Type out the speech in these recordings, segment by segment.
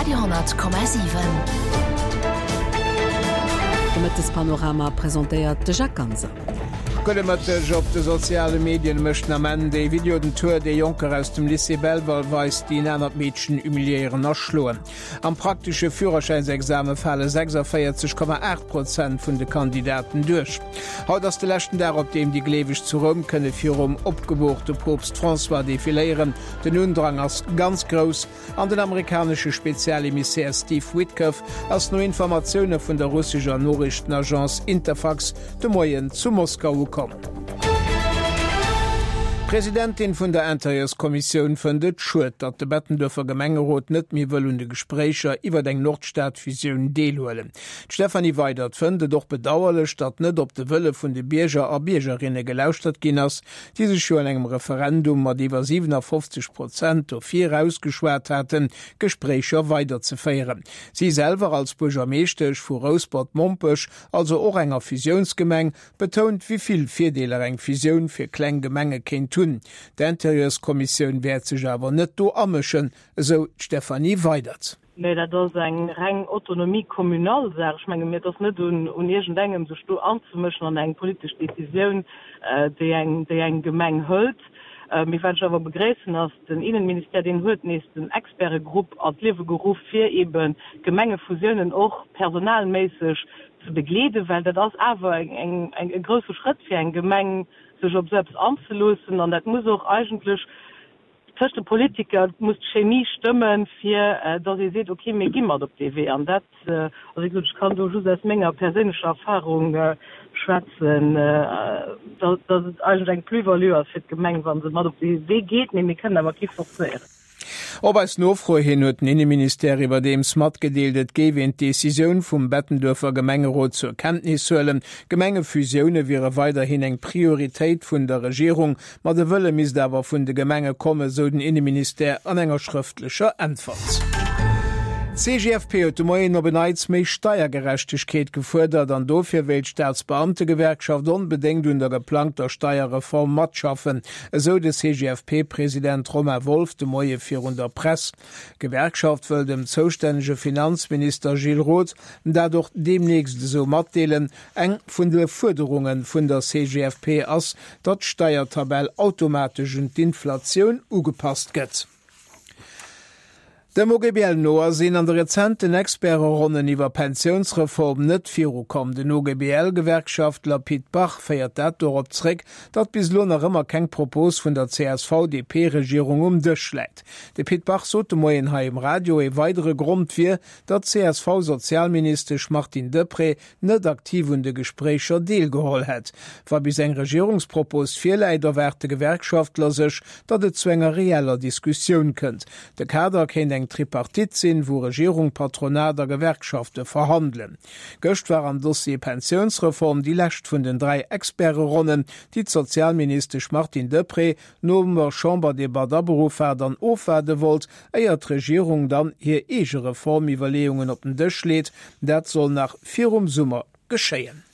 Radio 10,7. De Mëttespanorama presentéiert de Jacques Ganser. Gudde Mëtteg. Op de soziale Medien mécht den Ament ee Video den Tour, dee Jonker aus dem Lycée Belval weist, déi en anert Meedchen humiliéieren a schloen. Am praktesche Führerschäinsexame fale 46,8 Prozent vun de Kandidaten duerch. Haut ass de leschten Dag, op deem déi Gleeweg zu Roum kënne virum opgeboorte Poopst François defiléieren. Den Undrang ass ganz grouss an den amerikanesche Spezialemissär Steve Witkoff ass no Informatioune vun der russescher Noriichtenagence Interfax de Moien zu Moskau ukomm. D'Presidentin vun der Interieurskommissioun fënnt et schued, datt de Bettenduerfer Gemengerot net méi wëll un de Gespréicher iwwer eng Nordstad-Fusioun deelhuelen. D'Stéphanie Weydert fënnt et och bedauerlech, datt net op de Wëlle vun de Bierger a Biergerinne gelauschtert ginn ass, déi sech jo an engem Referendum mat iwwer 57 Prozent dofir ausgeschwat haten, d'Gespréicher weiderzeféieren. Si selwer als Buergermeeschtesch vu Rouspert-Mompech, also och enger Fusiounsgemeng, betount, wéi vill Virdeeler eng Fusioun fir kleng Gemenge kéint hunn. D'Interieurskommissioun wäert sech awer net do amëschen, esou d'Stéphanie Weydert. Mä dat ass eng reng Autonomie communale Saach. Ech menge mir, et ass net un iergendengem, sech do anzemëschen an eng politesch Décisioun, déi eng, déi eng Gemeng hëlt. Mee wat ech awer begréissen, ass, den Innenministère, deen huet nees den Expertegrupp an d'Liewe geruff, fir eeben d'Gemengefusiounen och personalméisseg ze begleeden, well dat ass awer eng, e grousse Schrëtt fir eng Gemeng, sech op esou eppes anzeloossen. An dat muss och eigentlech Tëscht de Politiker muss d'Chemie stëmmen, fir datt ee seet, ok, mir gi mat op dee Wee. An dat, also wéi gesot, ech kann do just aus menger perséinlecher Erfahrung schwätzen, datt et eigentlech eng Plus-value ass fir d'Gemeng, wa se mat op dee Wee geet, mee mir kënnen awer kee forcéieren. Op eis Nofro hin huet den Inneministère iwwerdeems matgedeelt, et géif een d'Decisioun vum Bettenduerfer Gemengerot zur Kenntnis huelen. Gemengefusioune wiere weiderhin eng Prioritéit vun der Regierung. Ma de Wëlle misst awer vun de Gemenge kommen, sou den Inneministère an enger schrëftlecher Äntwert. D'CGFP huet de Moien op en Neits méi Steiergerechtegkeet gefuerdert an dofir wéilt d'Staatsbeamtegewerkschaft onbedéngt un der geplangter Steierreform matschaffen, esou de CGFP-President Romain Wolff de Moie virun der Press. D'Gewerkschaft wëll dem zoustännege Finanzminister Gilles Roth dat och deemnächst esou matdeelen. Eng vun de Fuerderunge vun der CGFP ass, datt d'Steiertabell automatesch un d'Inflatioun ugepasst gëtt. Dem OGBL no ass een an de rezenten Experteronnen iwwer Pensiounsreform net virukomm. Den OGBL-Gewerkschaftler Pit Bach féiert dat dorop zréck, datt bis elo nach ëmmer keng Propos vun der CSV-DP-Regierung um Dësch läit. De Pit Bach sot de Moien hei um Radio, ee weidere Grond wier, datt d'CSV-Sozialministesch Martine Deprez net aktiv un de Gespréicher deelgeholl hätt. Wa bis eng Regierungspropos virläit, erwaart de Gewerkschaftler sech, datt et zu enger reeller Diskussioun kënnt. De Kader kéint eng Tripartite sinn, wou Regierung, Patronat a Gewerkschafte verhandelen. Gëscht war am Dossier Pensiounsreform déi lescht vun den 3 Experteronnen, déi d'Sozialministesch Martine Deprez no der Chamberdebatt aberuff hat an ofwaarde wollt, éier d'Regierung dann hir eege Reformiwwerleeungen op den Dësch leet. Dat soll nach virum Summer geschéien.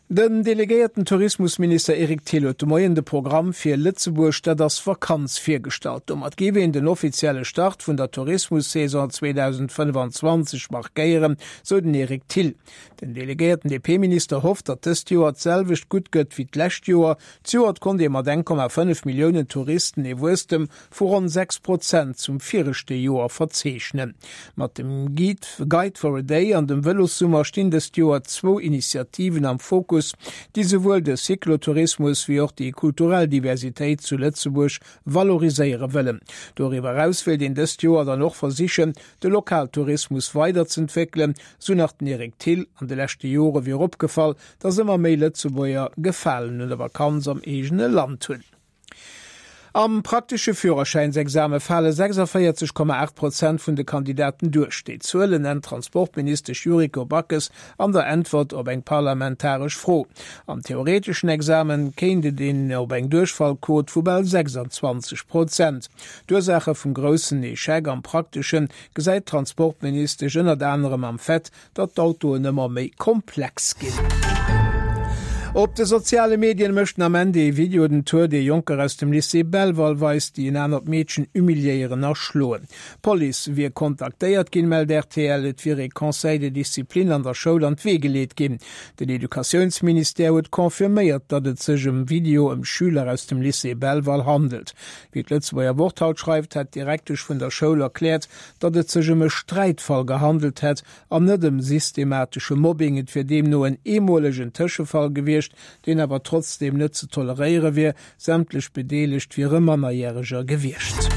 Den delegéierten Tourismusminister Eric Thill huet de Moien de Programm fir Lëtzebuerg, dat ass Vakanz virgestallt. Domat géif een den offizielle Start vun der Tourismussaison 2025 markéieren, sou den Eric Thill. Den delegéierten DP-Minister hofft, datt dëst Joer d'selwecht gutt gëtt wéi d'lescht Joer. Zejoert konnt ee mat 1,5 Milliounen Touristen ee Wuesstem vu ronn 6 Prozent zum viregte Joer verzeechnen. Mat dem Guide for a Day an dem Vëlossummer stinn dëst Joer zwou Initiativen am Fokus, déi souwuel de Cyclotourismus wéi och déi kulturell Diversitéit zu Lëtzebuerg valoriséiere wëllen. Doriwwer eraus wéilt een dëst Joer dann och versichen, de Lokaltourismus weiderz'entwéckelen, sou nach den Eric Thill. An de leschte Jore wier opgefall, datt ëmmer méi Lëtzebuerger Gefalen un der Vakanz am eegene Land hunn. Am praktesche Führerschäinsexame fale 46,8 Prozent vun de Kandidaten duerch. Déi Zuelen nennt d'Transportministesch Yuriko Backes an der Äntwert op eng parlamentaresch Fro. Am theoreteschen Examen kéint et een op eng Duerchfallquot vu bal 26 Prozent. D'Ursaache vum groussen Echec am Prakteschen gesäit d'Transportministesch ënnert anerem am Fait, datt d'Autoen ëmmer méi komplex ginn. Op de soziale Medien mécht den Ament ee Video den Tour, dee Jonker aus dem Lycée Belval weist, déi en anert Meedchen humiliéieren a schloen. D'Police wier kontaktéiert ginn, mellt rtl. Et wier ee Conseil de discipline an der Schoul an d'Wee geleet ginn. Den Educatiounsministère huet confirméiert, datt et sech ëm Video ëm Schüler aus dem Lycée Belval handelt. Wéi d'Lëtzebuerger Wort haut schreift, hätt d'Direktesch vun der Schoul erkläert, datt et sech ëm e Sträitfall gehandelt hätt an net ëm systematesche Mobbing. Et wier deemno en eemolegen Tëschefall gewiescht, deen awer trotzdeem net ze toleréiere wier. Sämtlech Bedeelegt wiere Mannerjäreger gewiescht.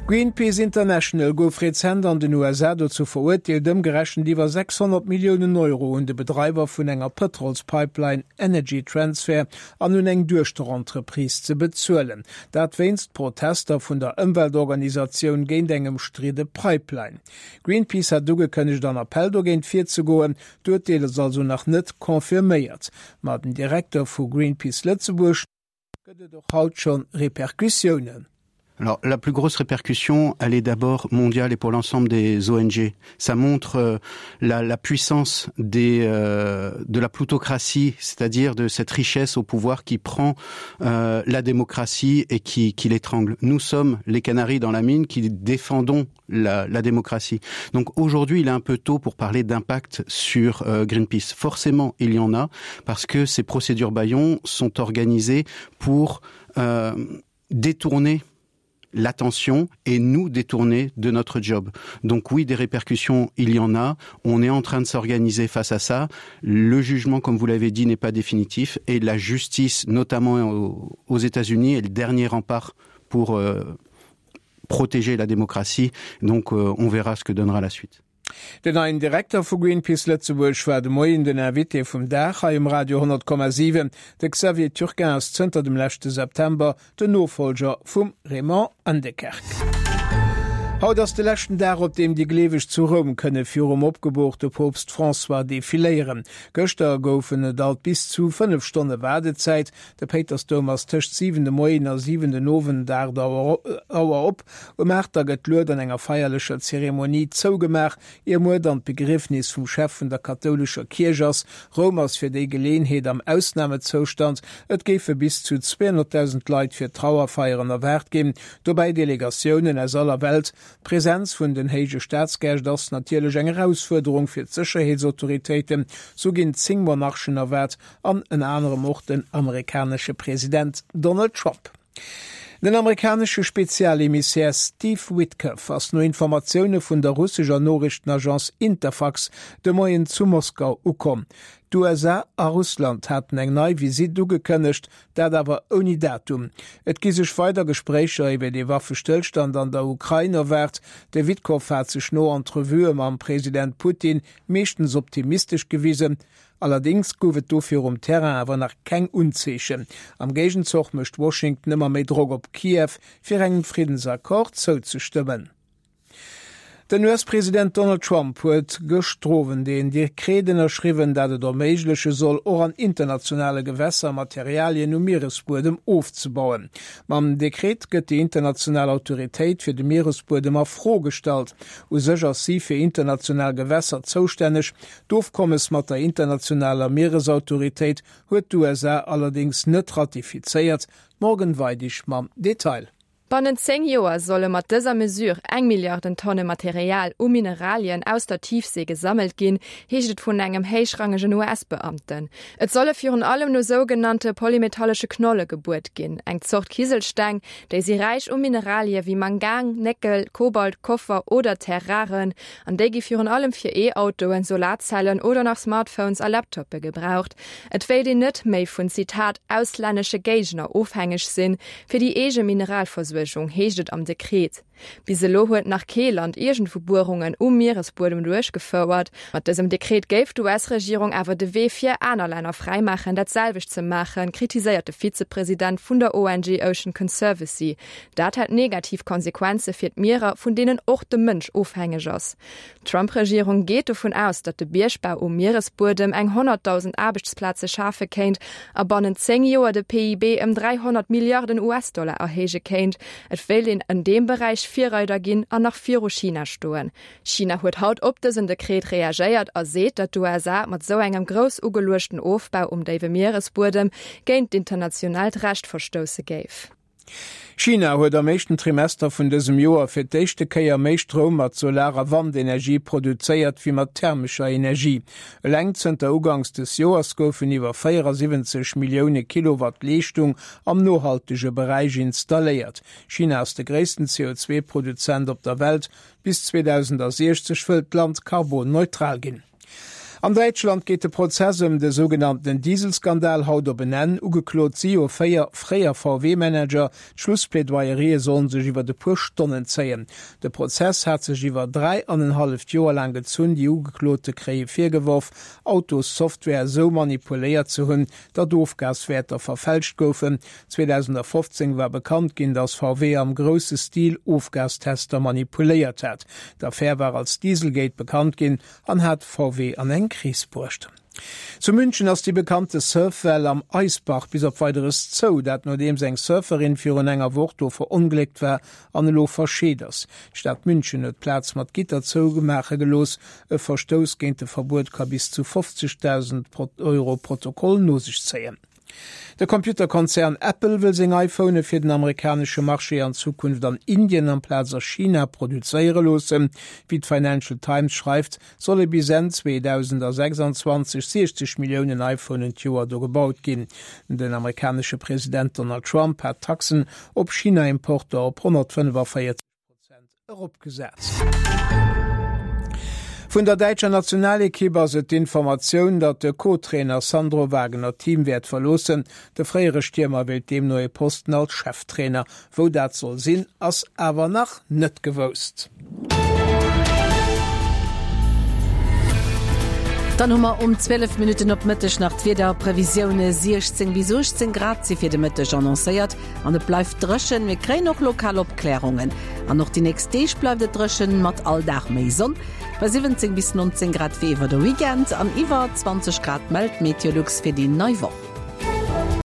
Greenpeace International gouf rezent an den USA dozou verurteelt, ëmgerechent iwwer 600 Milliounen Euro un de Bedreiwer vun enger Pëtrolspipeline, Energy Transfer, an un eng Duechterentreprise ze bezuelen. Dat wéinst Protester vun der Ëmweltorganisatioun géint eng ëmstridde Pipeline. Greenpeace hat ugekënnegt an Appell dogéint virzegoen. D'Urteel ass also nach net confirméiert. Ma den Direkter vu Greenpeace Lëtzebuerg gëtt et och haut schonn Repercussiounen. Alors la plus grosse répercussion, elle est d'abord mondiale et pour l'ensemble des ONG. Ça montre euh, la, la puissance des, euh, de la plutocratie, c'est-à-dire de cette richesse au pouvoir qui prend euh, la démocratie et qui, qui l'étrangle. Nous sommes les canaries dans la mine qui défendons la, la démocratie. Donc aujourd'hui, il est un peu tôt pour parler d'impact sur euh, Greenpeace. Forcément, il y en a parce que ces procédures baillons sont organisées pour euh, détourner l'attention et nous détourner de notre job. Donc oui, des répercussions, il y en a. On est en train de s'organiser face à ça. Le jugement, comme vous l'avez dit, n'est pas définitif et la justice, notamment aux, aux États-Unis, est le dernier rempart pour euh, protéger la démocratie. Donc euh, on verra ce que donnera la suite. Den neien Direkter vu Greenpeace Lëtzebuerg war de Moien den Invité vum Dag hei um Radio 10,7. De Xavier Turquin ass zënter dem leschte September den Nofollger vum Raymond Aendekerk. Haut ass de leschten Dag, op deem déi Gleeweg zu Roum kënne virum opgeboorte Poopst François defiléieren. Gëschter goufen et alt bis zu 5 Stonne Waardezäit. De Péitersdoum ass tëscht 7 de Moien a 7 den Owend, 8 Auer, op. Um 8 da gëtt d'Lued an enger feierlecher Zeremonie zougemaach, ier muer dann d'Begriefnis vum Chef vun der kathoulescher Kierch ass. Roum ass fir déi Geleeënheet am Ausnamezoustand. Et géife bis zu 200.000 Leit fir d'Trauerfeieren erwaart ginn, dobäi Delegatiounen aus aller Welt. D'Presenz vun den héije Staatsgäscht ass natierlech eng Erausfuerderung fir d'Sécherheetsautoritéiten. Sou ginn 10 Monarchen erwaart an ënner anerem och den amerikanesche President Donald Trump. Den amerikanesche Spezialemissär Steve Witkoff ass no Informatioune vun der russescher Noriichtenagence Interfax de Moien zu Moskau ukomm. D'USA a Russland haten eng nei Visitt ugekënnegt, dat awer ouni Datum. Et gi sech weider Gespréicher iwwer ee Waffestëllstand an der Ukrain erwaart. De Witkoff hat sech no Entrevuë mam President Putin meeschtens optimistesch gewisen. Allerdéngs gouf et dofir um Terrain awer nach keng Unzeechen. Am Géigenzoch mécht Washington ëmmer méi Drock op Kiew, fir engem Friddensaccord zouzestëmmen. Den US-President Donald Trump huet gëschter Owend een Dekret ënnerschriwwen, dat et erméigleche soll, och an internationale Gewässer Materialien um Mieresbuedem ofzebauen. Mam Dekret gëtt déi international Autoritéit fir de Mieresbuedem a Fro gestallt. U sech ass si fir international Gewässer zoustänneg, D'Ofkommes mat der internationaler Mieresautoritéit huet d'USA allerdéngs net ratifizéiert. D'Morgan Weidig mam Detail. Bannent 10 Joer solle mat dëser Mesure eng Milliarden Tonne Material u Mineralien aus der Tiefsee gesammelt ginn, heescht et vun engem héichrangegen US-Beamten. Et solle virun allem no sougenannte polymetallesche Knolle gebuert ginn, eng Zort Kiselsteng, déi si räich u Mineralie wéi Mangan, Néckel, Kobalt, Koffer oder Terres rares. An déi gi virun allem fir E-Autoen, Solarzellen oder nach Smartphones a Laptoppe gebraucht. Et wéilt een net méi vun, Zitat, auslännesche Géigner ofhängeg sinn, fir déi eege Mineralversuergung, heescht et am Dekret. Bis elo huet nach kee Land iergendwou Buerungen um Mieresbuedem duerchgefouert. Mat dësem Dekret géif d'US-Regierung awer de Wee fir aner Länner fräimaachen, dat selwecht ze maachen, kritiséiert de Vizepresident vun der ONG Ocean Conservancy. Dat hätt negativ Konsequenze fir d'Mierer, vun deenen och de Mënsch ofhängeg ass. D'Trump-Regierung geet dovun aus, datt de Biergbau um Mieresbuedem eng 100.000 Aarbechtsplaze schafe kéint a bannent 10 Joer de PIB ëm 300 Milliarden US-Dollar erhéije kéint. Et wéilt een en deem Beräich. Beräich Virreider ginn an nach viru China stoen. China huet haut op dësen Dekret reagéiert a seet, datt d'USA mat esou engem grouss ugeluechten Ofbau um déiwe Mieresbuedem géint d'internationaalt Recht verstousse géif. China huet am éischten Trimester vun dësem Joer fir d'éischte Kéier méi Stroum mat Solar a Wandenergie produzéiert wéi mat thermescher Energie. Eleng zënter uganks des Joers goufen iwwer 74 Millioune Kilowatt Leeschtung am nohaltege Beräich installéiert. China ass de gréissten CO2-Produzent op der Welt. Bis 2060 wëllt d'Land karbonneutral ginn. An Däitschland geet de Prozess ëm de sougenannten Dieselskandal haut op en Enn. Ugeklot si jo 4 fréier VW-Manager. D'Schlussplädoyerië sollen sech iwwert e puer Stonnen zéien. De Prozess hat sech iwwer 3 an en halleft Joer laang gezunn. Déi Ugeklote kréie virgeworf, Autossoftware esou manipuléiert ze hunn, datt Ofgaswäerter verfälscht goufen. 2015 war bekannt ginn, datt VW am grousse Stil Ofgastester manipuléiert hat. D'Affär war als Dieselgate bekannt ginn an hat VW an eng Kris bruecht. Zu München ass déi bekannte Surfwell am Eisbach bis op Weideres zou, dat nodeems eng Surferin virun enger Woch do verongléckt war an elo verscheet ass. D'Stad München huet d'Plaz mat Gitter zoumaache gelooss. E Verstouss géint de Verbuet ka bis zu 50.000 Euro Protokoll no sech zéien. De Computerkonzern Apple wëll seng iPhonë fir den amerikanesche Marché an Zukunft an Indien amplaz a China produzéiere loossen. Wéi d'Financial Times schreift, solle bis Enn 2026 60 Milliounen iPhonen d'Joer do gebaut ginn. Den amerikanesche President Donald Trump hat d'Taxen op China-Importer op 145 Prozent eropgesat. Vun der däitscher Nationalekipp ass et d'Informatioun, datt de Co-Trainer Sandro Wagner d'Team wäert verloossen. De fréiere Stiermer wéilt deemno ee Posten als Cheftrainer. Wou dat soll sinn, ass awer nach net gewousst. Dann hu mer um 12 Minutten op Mëtteg nach d'Wiederprevisioune, 16 bis 18 Grad si fir de Mëtteg annoncéiert. An et bleift dréchen, mir kréien och lokal Opklärungen. An och déi nächst Deeg bleift et dréchen, mat all Dag méi Sonn. Bei 17 bis 19 Grad wéi iwwer de Weekend an iwwer 20 Grad mellt Meteolux fir déi nei Woch.